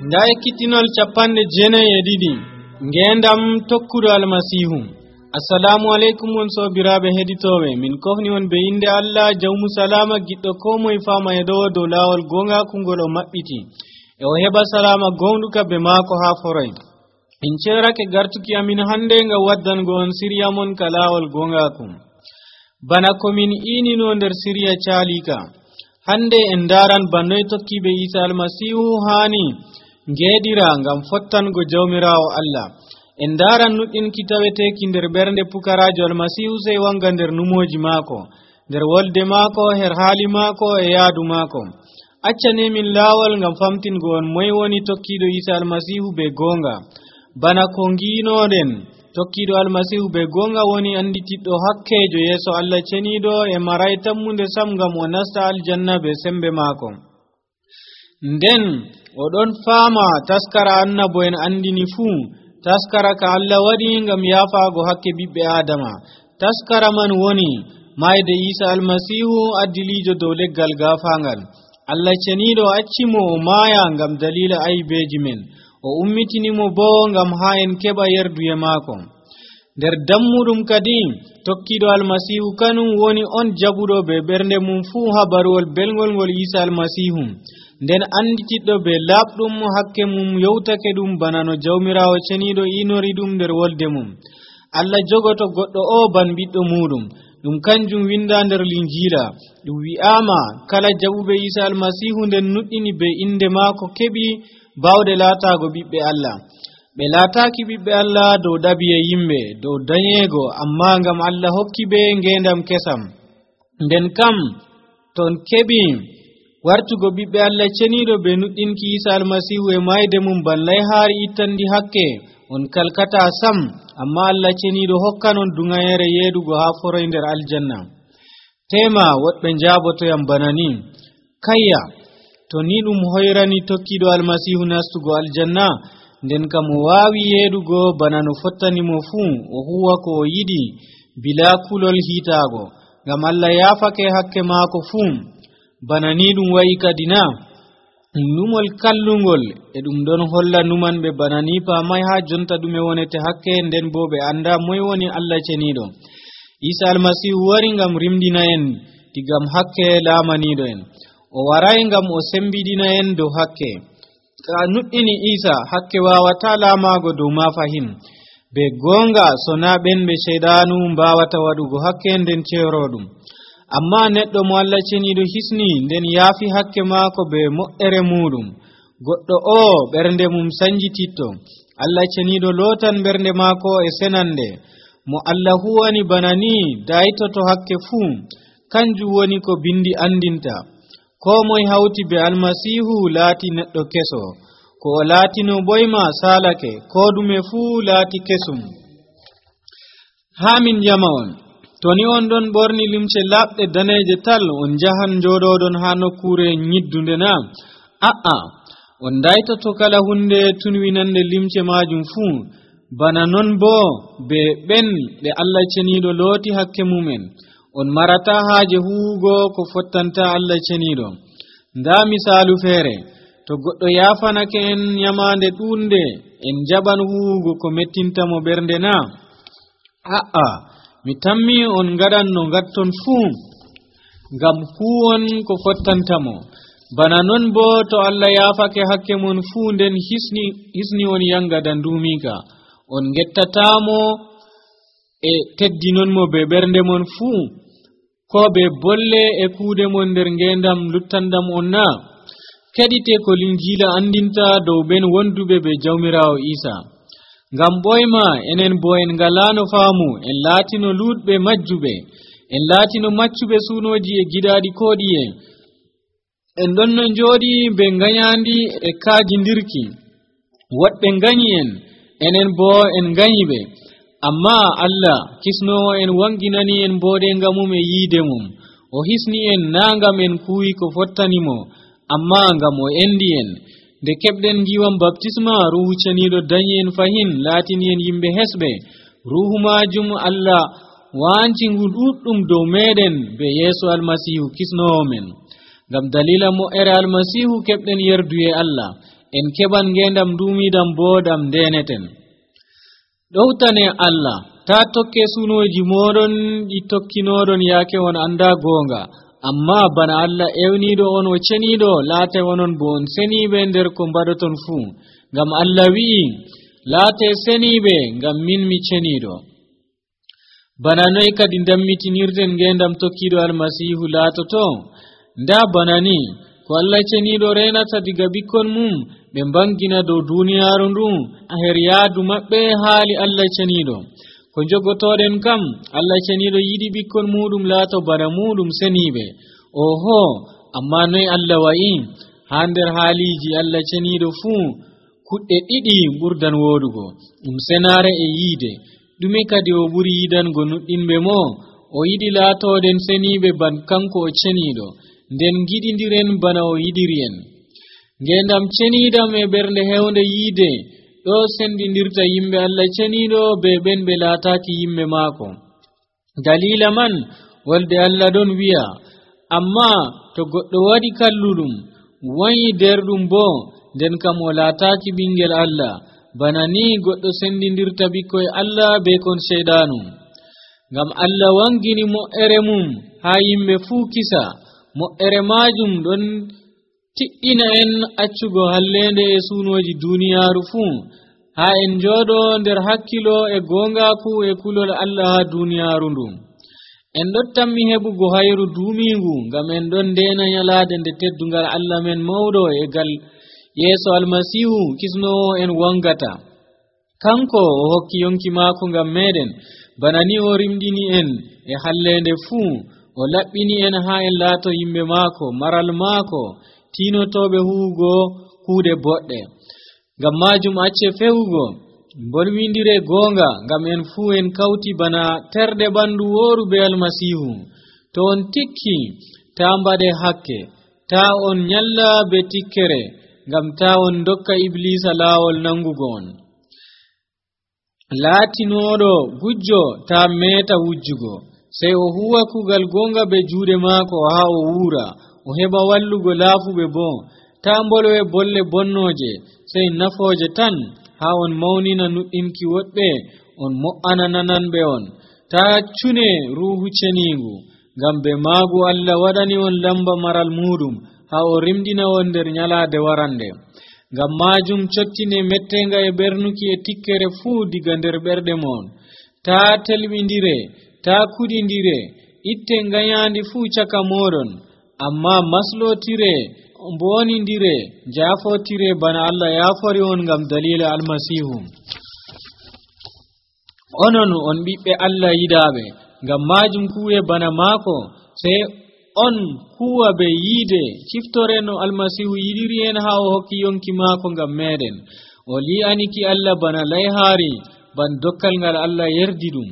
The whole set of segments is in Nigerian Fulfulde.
nda ekkitinol 92 ngendam tokkudo almasihu. Assalamu alaikum won sobirabe heditobe, min kofni won be inde Allah jawmu salama giddo ko moy fama e do lawol gonga kungol o mabbiti e o heba salama gonduka be mako ha foroy. In cerake gartuki amin hande nga waddango on siriya mon kalawol gonga kum bana komin inino nder siriya calika. Hande en daran bannoy tokkibe Isa almasihu hani ngedira ngam fottango jawmirawo Allah. En daran nuddin kitaweteki nder bernde pukarajo almasihu sey wanga nder numoji mako, nder wolde mako, her hali mako e yaadu mako. Accane min lawol ngam famtingo on moy woni tokkido Isa almasihu be gonga. Bana ko nginoden tokkido almasihu be gonga woni anditiddo hakkejo yeso Allah cenido e maray tammunde sam ngam o nasta aljanna be sembe mako. Nden o don fama taskara annabo en andini fu, taskara ka Allah wadi ngam yafaago hakke bibbe adama. Taskara man woni mayde Isa almasihu addilijo dow leggal gafangal. Allah cenido accimo o maya ngam dalila aybeji men, o ummitinimo bo ngam ha en keba yerduye mako. Der dammudum kadi tokkido almasihu kanum woni on jabudo be bernde mum fu habarwol belgol ngol Isa almasihu, nden anditiddo be labdum hakke mum yewtake dum bana no jawmirawo cenido inori dum der wolde mum. Allah jogoto goddo o ban biddo mudum, dum kanjum winda nder linjila. Dum wi'ama kala jabube Isa almasihu nden nuddini be inde mako kebi bawde laatago bibbe Allah. Be laataaki bibbe Allah dow dabiye yimbe, dow danyego, amma ngam Allah hokki be ngendam kesam. Nden kam ton kebi wartugo bibbe Allah cenido be nuddinki Isa almasihu e mayde mum ballay haari ittandi hakke, on kalkata sam, amma Allah cenido hokkanon dungayere yedugo ha foroy nder aljanna. Tema wodbe njaboto yam banani kayya to ni dum hoyrani tokkido almasihu nastugo aljanna, nden kam o waawi yedugo bana no fottani mo fu, o huwa ko o yidi bila kulol hitaago ngam Allah yafake hakke maako fu. Bana ni dum wayi kadina numol kallungol e dum don holla numan be bana ni pamay ha jonta dume wonete hakke, nden bo be anda moy woni Allah cenido. Isa almasihu wari ngam rimdina en digam hakke lamanido en, o waray ngam o sembidina en dow hakke. Ka nuddini Isa hakke wawata lamago dow ma fahin be gonga sona ben be sheydanu mbawata wadugo hakke nden cerodum. Amma neddo mo Allah cenido hisni nden yafi hakke mako be mo'ere mudum, goddo o bernde mum sanjititto. Allah cenido lotan bernde mako e senande. Mo Allah huwani banani daitoto hakke fu, kanju woni ko bindi andinta. Ko moy hawti be almasihu laati neddo keso, ko laatino boyma salake, ko dume fu laati kesum. Hamin jamaon toni on don borni limce labde daneje tal, on jahan jododon ha nokkure nyiddunde na on daitoto kala hunde tunwinande limce majum fu. Bana non bo be ben de Allah cenido loti hakke mumen, on marata haaje huugo ko fottanta Allah cenido. Nda misalu fere, to goddo yafanake en nyamande dunde en jaban huugo ko mettinta mo bernde na mi tammi on gadan no gatton fu ngam huwon ko fottanta mo. Bana non bo to Allah yafake hakke mon fu nden hisni on yanga dandumika, on gettatamo e teddinon mo be bernde mon fu, ko be bolle e kuude mon nder ngendam luttandam on na. Kedite ko linjila andinta dow ben wondube be jawmirawo Isa. Ngam boyma enen bo en galano faamu, en laatino ludbe majjube, en laatino maccube sunoji e gidaadi koodiye. En donno jodi be nganyandi e kaajindirki. Wodbe nganyi en, enen bo en nganyibe. Amma Allah kisnowo en wanginani en boode ngamum e yiide mum. O hisni en nangam en kuwi ko fottanimo, amma ngam o endi en. Nde kebden jiwam baptisma ruhu cenido danyi en fahin, latini en yimbe hesbe. Ruhu majum Allah wanci ngududdum dow meden be Yesu almasihu kisnowo men. Ngam dalila mo ere almasihu kebden yerduye Allah. en keban ngendam duumidam boodam ndeneten. Ɗowtane Allah ta tokke sunoji moɗon ɗi tokkinoɗon yaake on anda goonga, amma bana Allah ewniɗo on o ceniɗo laate onon bo on seniɓe nder ko mbaɗoton fuu, ngam Allah wi'i laate seniɓe ngam min mi ceniɗo. Bana noy kadi dammitinirten ngendam tokkiɗo almasihu laatoto? Nda bana ni ko Allah ceniɗo renata diga bikkon mum ɓe mbangina dow duniyaaru ndu her yaadu maɓɓe haali Allah ceniɗo. Ko jogotoɗen kam Allah ceniɗo yiɗi bikkon muɗum laato bana muɗum seniɓe. Oho, amma noy Allah wa'i? Ha nder haaliji Allah ceniɗo fuu kuɗɗe ɗiɗi ɓurdan wodugo, senare e yiide. Ɗume kadi o ɓuri yidango nuɗɗinɓe mo? O yiɗi laatoɗen seniɓe ban kanko o ceniɗo, nden giɗidiren bana o yiɗiri en. Ngendam cenidam e ɓernde hewnde yiide ɗo sendidirta yimɓe Allah ceniɗo be ɓen ɓe laataki yimɓe maako. Dalila man wolde Allah ɗon wi'a, amma to goɗɗo waɗi kalluɗum wanyi derɗum bo nden kam o laataki ɓingel Allah, bana ni goɗɗo sendidirta ɓikkoye Allah be kon sheydanu. Ngam Allah wangini mo'ere mum ha yimɓe fuu kisa, mo'ere majum ɗon tiɗɗina en accugo hallende e sunoji duniyaaru fuu, ha en jooɗo nder hakkilo e gongaku e kulol Allah ha duniyaaru ndu. En ɗon tammi heɓugo hayru duumingu ngam en ɗon ndena nyalaade nde teddungal Allah men mawɗo e gal yeeso almasihu kisnowo en wangata. Kanko o hokki yonki maako ngam meɗen, bana ni o rimɗini en e hallende fuu, o laɓɓini en ha en laato yimɓe maako, maral maako, tinotoɓe huugo kuuɗe boɗɗe. Ngam majum acce fewugo, bolwindire goonga, ngam en fuu en kawti bana terɗe ɓandu wooru be almasihu. To on tikki, ta mbaɗe hakke, ta on nyalla be tikkere, ngam ta on dokka iblisa laawol nangugo on. Laatinoɗo gujjo ta meta wujjugo, sey o huwa kugal gonga be juuɗe maako ha o wuura, o heɓa wallugo laafuɓe bo. Ta mbolwe bolle bonnoje, sey nafooje tan ha on mawnina nuɗɗinki woɗɓe, on mo'ana nananɓe on. Ta cune ruhu ceniingu, ngam be maagu Allah waɗani on lamba maral muɗum ha o rimɗina on nder nyalaade warande. Ngam majum cottine mettenga e ɓernuki e tikkere fuu diga nder ɓerɗe mon. Ta telɓindire, ta kuɗindire, itte ngayandi fuu caka moɗon, amma maslotire, mbonindire, jafotire bana Allah yafori on ngam dalila almasihu. Onon on ɓiɓɓe Allah yiɗaɓe, ngam majum kuwe bana maako, sey on huwa be yiide ciftore no almasihu yiɗiri en ha o hokki yonki maako ngam meɗen. O li'aniki Allah bana layhaari, ban dokkal ngal Allah yerdi ɗum.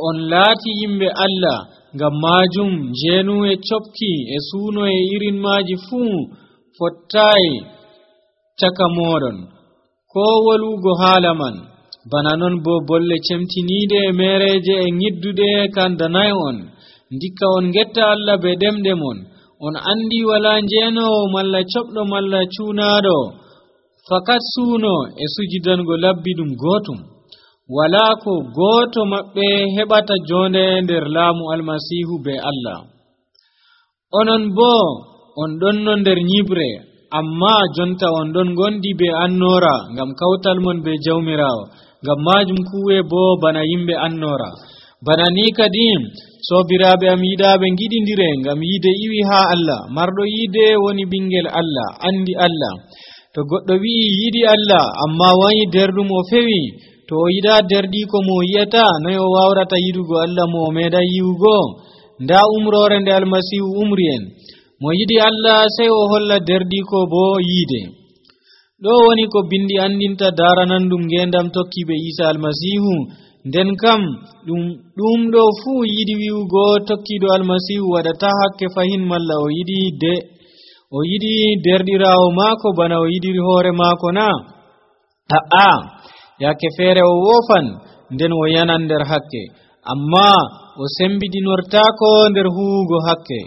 On laati yimɓe Allah, ngam majum jeenu e copki e suuno e irin maaji fuu fottayi caka moɗon, ko wolugo haala man. Bana non bo bolle cemtiniide e mereje e ngidduɗe kandanay on. Ndikka on getta Allah be ɗemɗe mon. On andi wala njeenowo malla coɓɗo malla cuunaɗo, fakat suuno e sujidango labbiɗum gootum. Wala ko gooto maɓɓe heɓata jonde nder laamu almasihu be Allah. Onon bo on ɗonno nder nyibre, amma jonta on ɗon gondi be annora ngam kawtal mon be jawmirawo. Ngam majum kuwe bo bana yimɓe annora. Bana ni kadi sobiraɓe am yiɗaɓe giɗindire ngam yiide iwi ha Allah. Marɗo yiide woni ɓingel Allah, andi Allah. To goɗɗo wi'i yiɗi Allah amma wayi derɗum o fewi, to o yiɗa derɗi ko mo yiyata, noy o wawrata yiɗugo Allah mo o meeɗa yiwugo? Nda umrore nde almasihu umri en. Mo yiɗi Allah sey o holla derɗi ko bo yiide. Ɗo woni ko bindi andinta daranandum ngendam tokkiɓe Isa almasihu. Nden kam ɗum ɗo fuu yiɗi wi'ugo tokkiɗo almasihu waɗata hakke fahin, malla o yiɗi derɗirawo maako bana o yiɗiri hoore maako na? A'a, yake feere o wofan nden o yanan nder hakke, amma o sembidinortako nder huwugo hakke.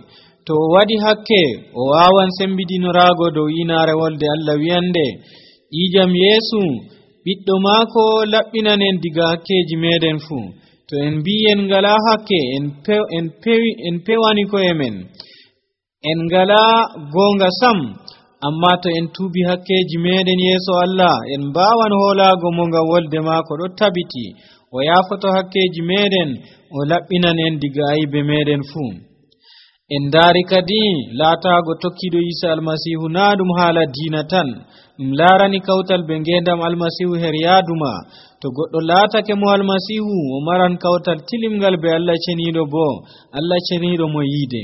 To o waɗi hakke o wawan sembidinorago dow inaare wolde Allah wiyande, ijam yeesu ɓiɗɗo maako laɓɓinanen diga hakkeji meɗen fuu. To en mbi en ngala hakke en pewani koye men, en ngala goonga sam. Amma to en tuubi hakkeji meɗen yeeso Allah, en mbawan hoolaago mo ngam wolde maako ɗo tabiti o yaafoto hakkeji meɗen, o laɓɓinanen diga aybe meɗen fuu. En daari kadi laataago tokkiɗo Isa almasihu naa ɗum haala diina tan, ɗum laarani kawtal be ngendam almasihu her yaaduma. To goɗɗo laatake mo almasihu, o maran kawtal tilimngal be Allah ceniiɗo, bo Allah ceniiɗo mo yiide.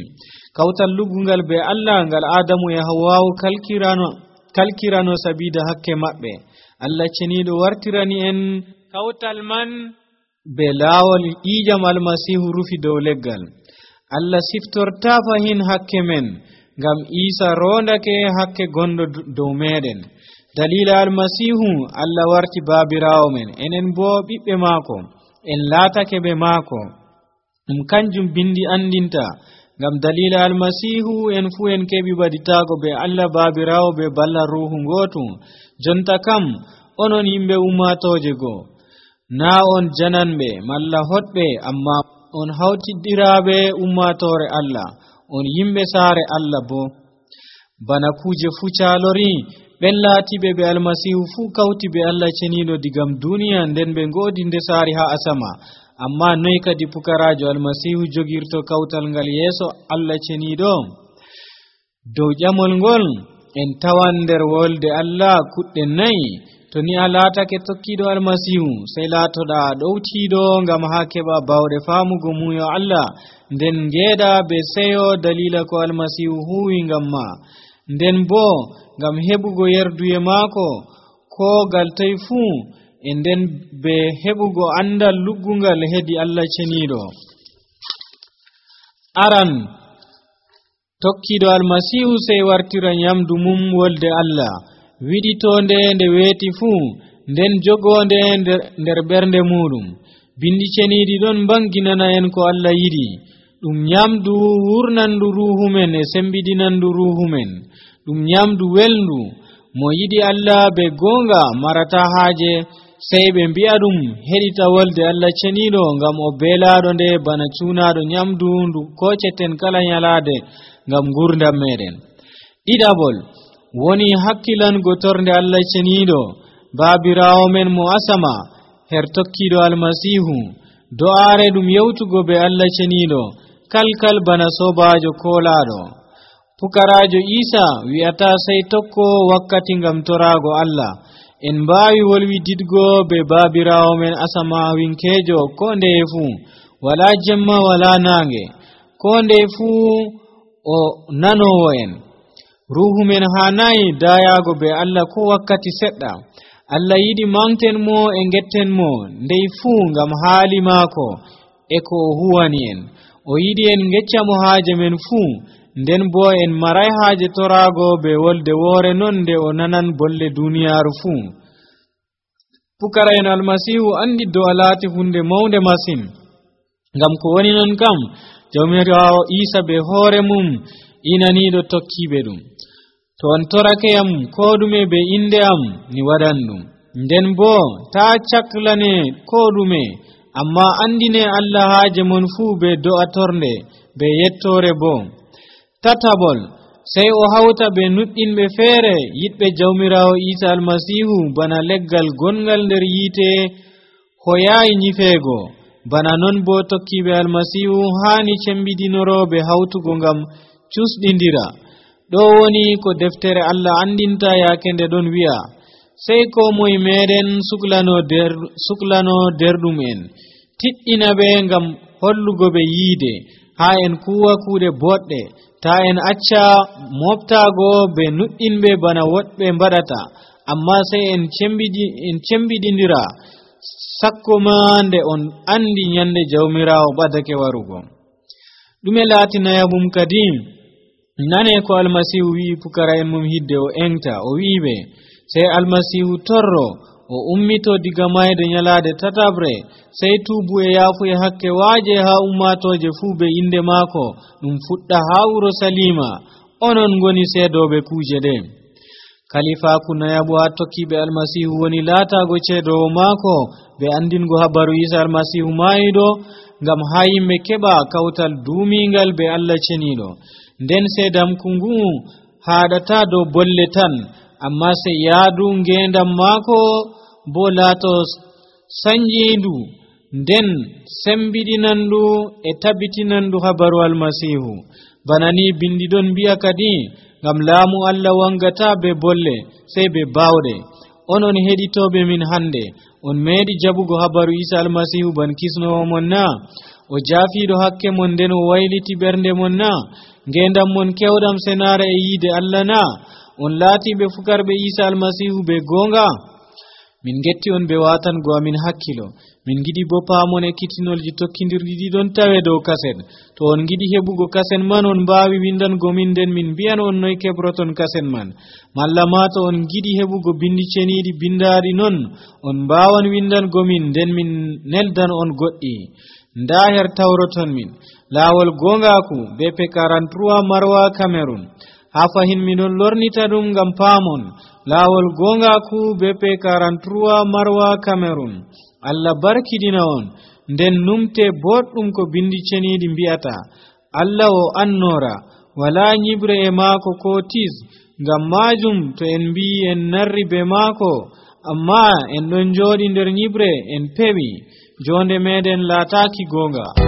Kawtal luggungal be Allah ngal Adamu e Hawwaawu kalkirano sabida hakke maɓɓe. Allah ceniiɗo wartirani en kawtal man be laawol ƴiƴam almasihu rufi dow leggal. Allah siftorta fahin hakke men ngam Isa rondake hakke gondo dow meɗen. Dalila almasihu Allah warti baabirawo men, enen bo ɓiɓɓe maako, en laatake be maako. Ɗum kanjum bindi andinta, ngam dalila almasihu en fu en keɓi baditago be Allah baabirawo be balla ruhu ngotu. Jonta kam onon yimɓe ummatoje goo, na on jananɓe malla hoɗɓe, amma on hawtiddiraɓe ummatore Allah, on yimɓe saare Allah bo. Bana kuje fu calori, ɓen laatiɓe be almasihu fu kawti be Allah ceniiɗo digam duniya, nden ɓe ngoodi nde saari ha asama. Amma noy kadi pukarajo almasihu jogirto kawtal ngal yeeso Allah ceniiɗo? Dow ƴamol ngol en tawan nder wolde Allah kuɗɗe nayi. To ni a laatake tokkiɗo almasihu, sey laatoɗa ɗowtiiɗo ngam ha keɓa bawɗe faamugo muyo Allah, nden ngeeɗa be seyo dalila ko almasihu huwi ngam ma, nden bo ngam heɓugo yerduye maako ko gal toy fuu, e nden be heɓugo andal luggungal hedi Allah ceniiɗo. Aran tokkiɗo almasihu sey wartira nyamdu mum wolde Allah, wiɗitonde nde weeti fuu, nden jogonde nder ɓernde muɗum. Bindi ceniiɗi ɗon banginana en ko Allah yiɗi, ɗum nyamdu wurnandu ruhu men e sembidinandu ruhu men, ɗum nyamdu welndu. Mo yiɗi Allah be gonga marata haaje sey ɓe mbi'a ɗum heɗita wolde Allah ceniiɗo, ngam o beelaaɗo nde bana cuunaaɗo nyamdu ndu koceten kala nyalaade ngam gurdam meɗen. Ɗiɗaɓol woni hakkilango torde Allah ceniiɗo baabirawo men mo asama her tokkiɗo almasihu. Do'aare ɗum yewtugo be Allah ceniiɗo kalkal bana sobajo koolaaɗo. Pukarajo Isa wi'ata sey tokko wakkati ngam toraago Allah. En mbaawi wolwididgo be baabirawo men asama winkejo ko ndeye fuu, wala jemma wala naange, ko ndeye fuu o nanowo en. Ruhu men hanayi dayago be Allah ko wakkati seɗɗa. Allah yiɗi manten mo e ngetten mo ndey fuu ngam haali maako e ko o huwani en. O yiɗi en ngecca mo haaje men fuu, nden bo en maray haaje toraago be wolde woore non nde o nanan bolle duniyaaru fuu. Pukara en almasihu andi do a laati hunde mawnde masin, ngam ko woni non kam jawmirawo Isa be hoore mum inaniiɗo tokkiɓe ɗum. To on torake am ko ɗume be inde am ni waɗan ɗum, nden bo ta caklane ko ɗume, amma andine Allah haaje mon fuu be do'a tornde be yettore bo. Tataɓol sey o hawta be nuɗɗinɓe feere yiɗɓe jawmirawo Isa almasihu bana leggal gongal nder yiite hoyayi nyifeego. Bana non bo tokkiɓe almasihu haani cembidinoroɓe hawtugo ngam cusɗindira. Ɗo woni ko deftere Allah andinta yaake nde ɗon wi'a, sey ko moye meɗen suklano derɗum en, tiɗɗina ɓe ngam hollugo ɓe yiide, haa en kuwa kuuɗe boɗɗe, ta en acca moftago be nuɗɗinɓe bana woɗɓe mbaɗata, amma sey en cembidindira sakko ma nde on andi nyande jawmirawo ɓadake warugo. ɗume laatinayabum kadi nane ko almasihu wi'i pukara en mum hidde o engta, o wi'iɓe sey almasihu torro o ummito diga mayde nyalaade tatabre, sey tuubu e yaafu e hakke waaje ha ummatoje fuu be inde maako, ɗum fuɗɗa ha Urusalima, onon ngoni seedoɓe kuuje ɗe. kalifaku nayabu ha tokkiɓe almasihu woni laatago ceedowo maako ɓe andingo habaru isa almasihu maayiɗo ngam ha yimɓe keɓa kawtal duumingal be Allah ceniɗo. Nden seedamku ngu haɗata dow bolle tan, amma se yaadu ngendam maako bo laato sanjindu nden sembiɗinandu e tabbitinandu habaru almasihu. Bana ni bindiɗon mbi'a kadi ngam laamu Allah wangata be bolle sey be bawɗe. Onon heɗitoɓe min hande, on meeɗi jabugo habaru isa almasihu ban kisnowo mon na? O jaafiɗo hakke mon nden o wayliti ɓernde mon na? Ngendam mon kewɗam senare e yiide Allah na? On laatiɓe fukarɓe isa almasihu be gonga? Min getti on be watango amin hakkilo. Min gidi bo paamon ekkitinolji tokkidirɗi ɗiɗon tawe dow kaset. To on gidi heɓugo kaset man, on mbaawi windango min nden min mbi'an on noy keɓroton kaset man. Malla ma to on gidi heɓugo bindi ceniɗi bindaaɗi non, on mbaawan windango min nden min neldan on goɗɗi. Nda her tawroton min laawol gongaku BP 43 Marwa Cameroon. Ha fahin miɗon lornita ɗum ngam paamon laawol gongaku BP 43 Marwa Cameroon. Allah barkidina on nden numte boɗɗum ko bindi ceniɗi mbi'ata. Allah o annora wala nyibre e maako ko tis, ngam majum to en mbi en narri be maako amma en ɗon jooɗi nder nyibre en pewi, jonde meɗen laataki gonga.